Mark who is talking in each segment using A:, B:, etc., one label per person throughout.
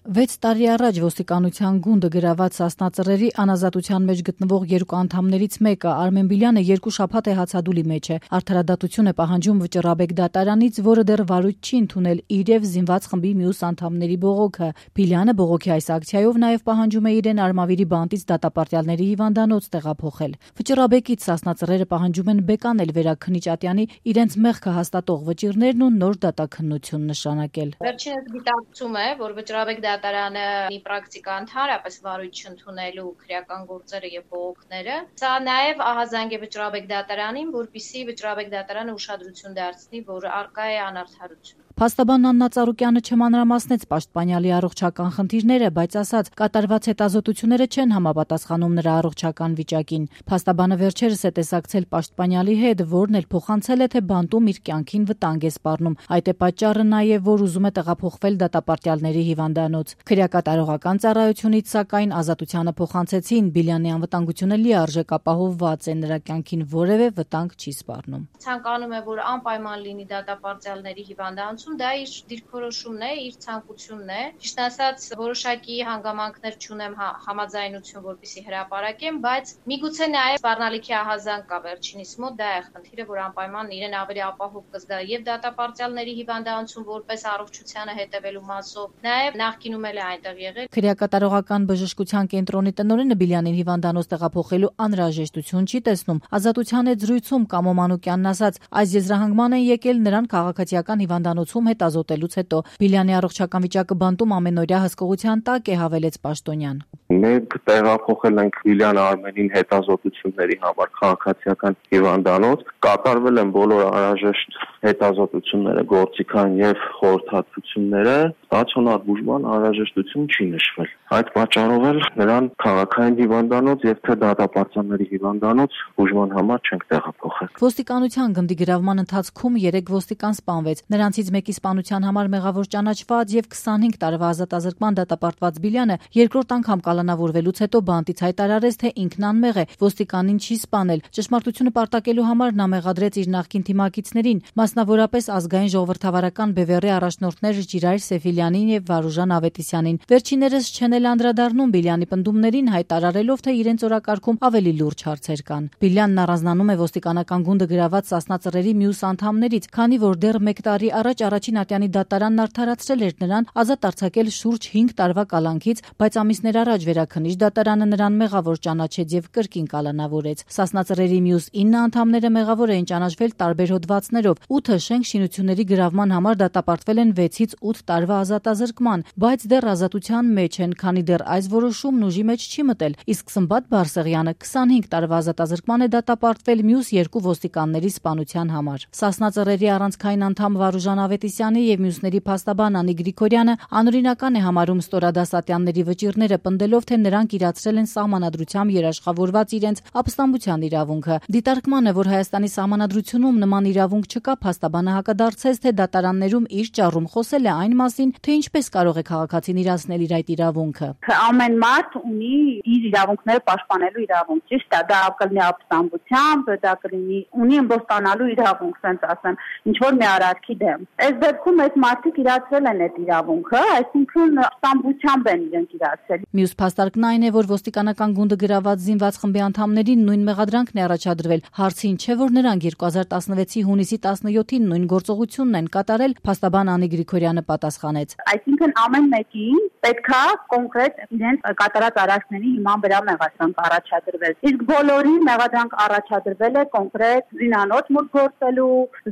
A: 6 տարի առաջ ոստիկանության գունդը գրաված Սասնա Ծռերի անազատության մեջ գտնվող երկու անդամներից մեկը Արմեն Բիլյանը 2 շաբաթ է հացադուլի մեջ է։ Արդարադատություն է պահանջում Վճռաբեկ դատարանից, որը դեռ վարույթ չի ընդունել իր եւ զինված խմբի մյուս անդամների բողոքը։ Բիլյանը բողոքի այս ակցիայով նաեւ պահանջում է իրեն Արմավիրի բանտից դատապարտյալների հիվանդանոց տեղափոխել։ Վճռաբեկից Սասնա Ծռերը պահանջում են բեկանել Վերաքննիչ Ատյանի իրենց մեղքը հաստատող վճիռներն ու նոր դատաքննություն նշանակել։
B: Վերջինս գիտակցում է, որ Վճռաբեկ դատարանը մի պրակտիկա ընդհանրապես վարույթ չընդունելու քրեական գործերը եւ բողոքները։ Սա նաեւ ահազանգ է Վճռաբեկ դատարանին, որպեսզի Վճռաբեկ դատարանը ուշադրություն դարձնի, որ առկա է անարդարություն։
A: Փաստաբան Աննա Ծառուկյանը չմանրամասնեց պաշտպանյալի առողջական խնդիրները, բայց ասաց, կատարված հետազոտությունները չեն համապատասխանում նրա առողջական վիճակին։ Փաստաբանը վերջերս է տեսակցել պաշտպանյալի հետ, որն էլ փոխանցել է, թե բանտում իր կյանքին վտանգ է սպառնում։ Այդ է պատճառը նաեւ, որ ուզում է տեղափոխվել դատապարտյալների հիվանդանոց։ Քրեակատարողական ծառայությունից, սակայն, ազատությանը փոխանցեցին Բիլյանի անվտանգությունը լիարժեք ապահովված է, նրա կյանքին որևէ վտանգ չի սպառնում։
B: Ցանկանում է, որ անպայման լինի դատապարտյալների հիվանդանոցում, դա իր դիրքորոշումն է, իր ցանկությունն է։ Ճիշտ ասած, որոշակի հանգամանքներ չունեմ համաձայնություն, որպեսզի հրապարակեմ, բայց միգուցե նաև սպառնալիքի ահազանգ կա վերջինիս մոտ, դա է խնդիրը, որ անպայման իրեն ավելի ապահով կզգա եւ դատապարտյալների հիվանդանոցում որպես առողջությանը հետևելու մասով, նաև նախկինում էլ է այնտեղ եղել։
A: Քրեակատարողական բժշկության կենտրոնի տնօրենը Բիլյանին հիվանդանոց տեղափոխելու անհրաժեշտություն չի տեսնում։ Ազատության հետ զրույցում Կամո Մանուկյանն ասաց, այս եզրահանգման են եկել նրան քաղաքացիական հիվանդանոցում հետազոտելուց հետո։ Բիլյանի առողջական վիճակը բանտում ամենօրյա հսկողության տակ է, հավելեց պաշտոնյան։
C: Մենք տեղափոխել ենք Բիլյան Արմենին հետազոտությունների համար քաղաքացիական հիվանդանոց, կատարվել են բոլոր անհրաժեշտ հետազոտությունները, գործիքային եւ խորհրդատվությունները, ստացիոնար բուժման անհրաժեշտություն չի նշվել։ Այդ պատճառով էլ նրան քաղաքային հիվանդանոց եւ թե դատապարտյալների հիվանդանոց բուժման համար չենք տեղափոխել։
A: Ոստիկանության գնդի գրավման ընթացքում 3 ոստիկան սպանվեց։ Նրանցից մեկի սպանության համար մեղավոր ճանաչված եւ 25 տարվա ազատազրկման դատապարտված Բիլյանը երկրորդ անգամ կալանավորվելուց հետո բանտից հայտարարեց, թե ինքն անմեղ է, ոստիկանին չի սպանել։ Ճշմարտությունը պարտակելու համար նա մեղադրեց իր նախկին թիմակիցներին, մասնավորապես ազգային ժողովրդավարական բևեռի առաջնորդներ Ժիրայր Սեֆիլյանին եւ Վարուժան Ավետիսյանին։ Վերջիններս չեն էլ անդրադառնում Բիլյանի պնդումներին, հայտարարելով, թե իրենց օրակարգում ավելի լուրջ հարցեր կան։ Բիլյանն առանձնանում է ոստիկանական գունդը գրաված Սասնա Ծռերի մյուս անդամներից, քանի որ դեռ 1 տարի առաջ առաջին Ատյանի դատարանն արդարացրել էր նրան, ազատ արձակել շուրջ 5 տարվա կալանքից, բայց ամիսներ առաջ Վերաքննիչ դատարանը նրան մեղավոր ճանաչեց եւ կրկին կալանավորեց։ Սասնա Ծռերի մյուս 9 անդամները մեղավոր էին ճանաչվել տարբեր հոդվածներով։ 8-ը շենք շինությունների գրավման համար դատապարտվել են 6-ից 8 տարվա ազատազրկման, բայց դեռ ազատության մեջ են, քանի դեռ այս որոշումն ուժի մեջ չի մտել։ Իսկ Սմբատ Բարսեղյանը 25 տարվա ազատազրկման է դատապարտվել մյուս 2 ոստիկանների սպանության համար։ Սասնա Ծռերի առանցքային անդամ Վարուժան Ավետիսյանի եւ մյուսների փաստաբան Անի Գրիգորյանը անօրինական է համարում Ստորադաս Ատյանների վճիռները, պնդելով, թե նրանք իրացրել են սահմանադրությամբ երաշխավորված իրենց ապստամբության իրավունքը։ Դիտարկմանը, որ Հայաստանի սահմանադրությունում նման իրավունք չկա, փաստաբանը հակադարձեց, թե դատարաններում իր ճառում խոսել է այն մասին, թե ինչպես կարող է քաղաքացին իրացնել իր այդ իրավունքը։
D: Ամեն մարդ ունի իր իրավունքները պաշտպանելու իրավունք, ճիշտ է, դա կլինի ապստամբությամբ, դա կլինի ունի ըմբոստանալու իրավունք, ասենց ասեմ, ինչ որ մի արարքի դեմ։ Այս դեպքում այս մարդիկ իրացրել են այդ իրավունքը, այսինքն ապստամբությամբ են իրենք իրացրել։
A: Մյուս փաստարկն այն է, որ ոստիկանական գունդը գրաված զինված խմբի անդամներին նույն մեղադրանքն է առաջադրվել։ Հարցին չէ, որ նրանք 2016-ի հունիսի 17-ին նույն գործողությունն են կատարել, փաստաբան Անի Գրիգորյանը պատասխանեց։
D: Այսինքն ամեն մեկին պետքա կոնկրետ իրենց կատարած արարքների հիման վրա մեղադրանք առաջադրվել։ Իսկ բոլորի մեղադրանք առաջադրվել է կոնկրետ զինանոց մուտք գործելու,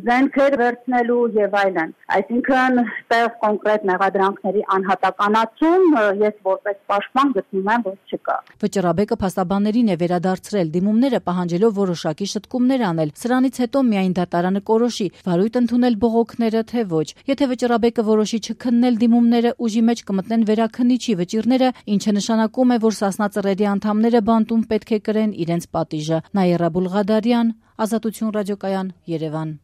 D: զենքեր վերցնելու եւ այլն։ Այսինքն այստեղ կոնկրետ մեղադրանքների անհատականացում ես որպես պաշտպան գտնում եմ, որ չկա։
A: Վճռաբեկը փաստաբաններին է վերադարձրել դիմումները, պահանջելով որոշակի շտկումներ անել։ Սրանից հետո միայն դատարանը կորոշի վարույթ ընդունել բողոքները, թե ոչ։ Եթե Վճռաբեկը որոշի չքննել դիմումները, ուժի մեջ կմտնեն Վերաքննիչի վճիռները, ինչը նշանակում է, որ Սասնա Ծռերի անդամները բանտում պետք է կրեն իրենց պատիժը։ Նաիրա Բուլղադարյան, Ազատություն ռադիոկայան, Երևան։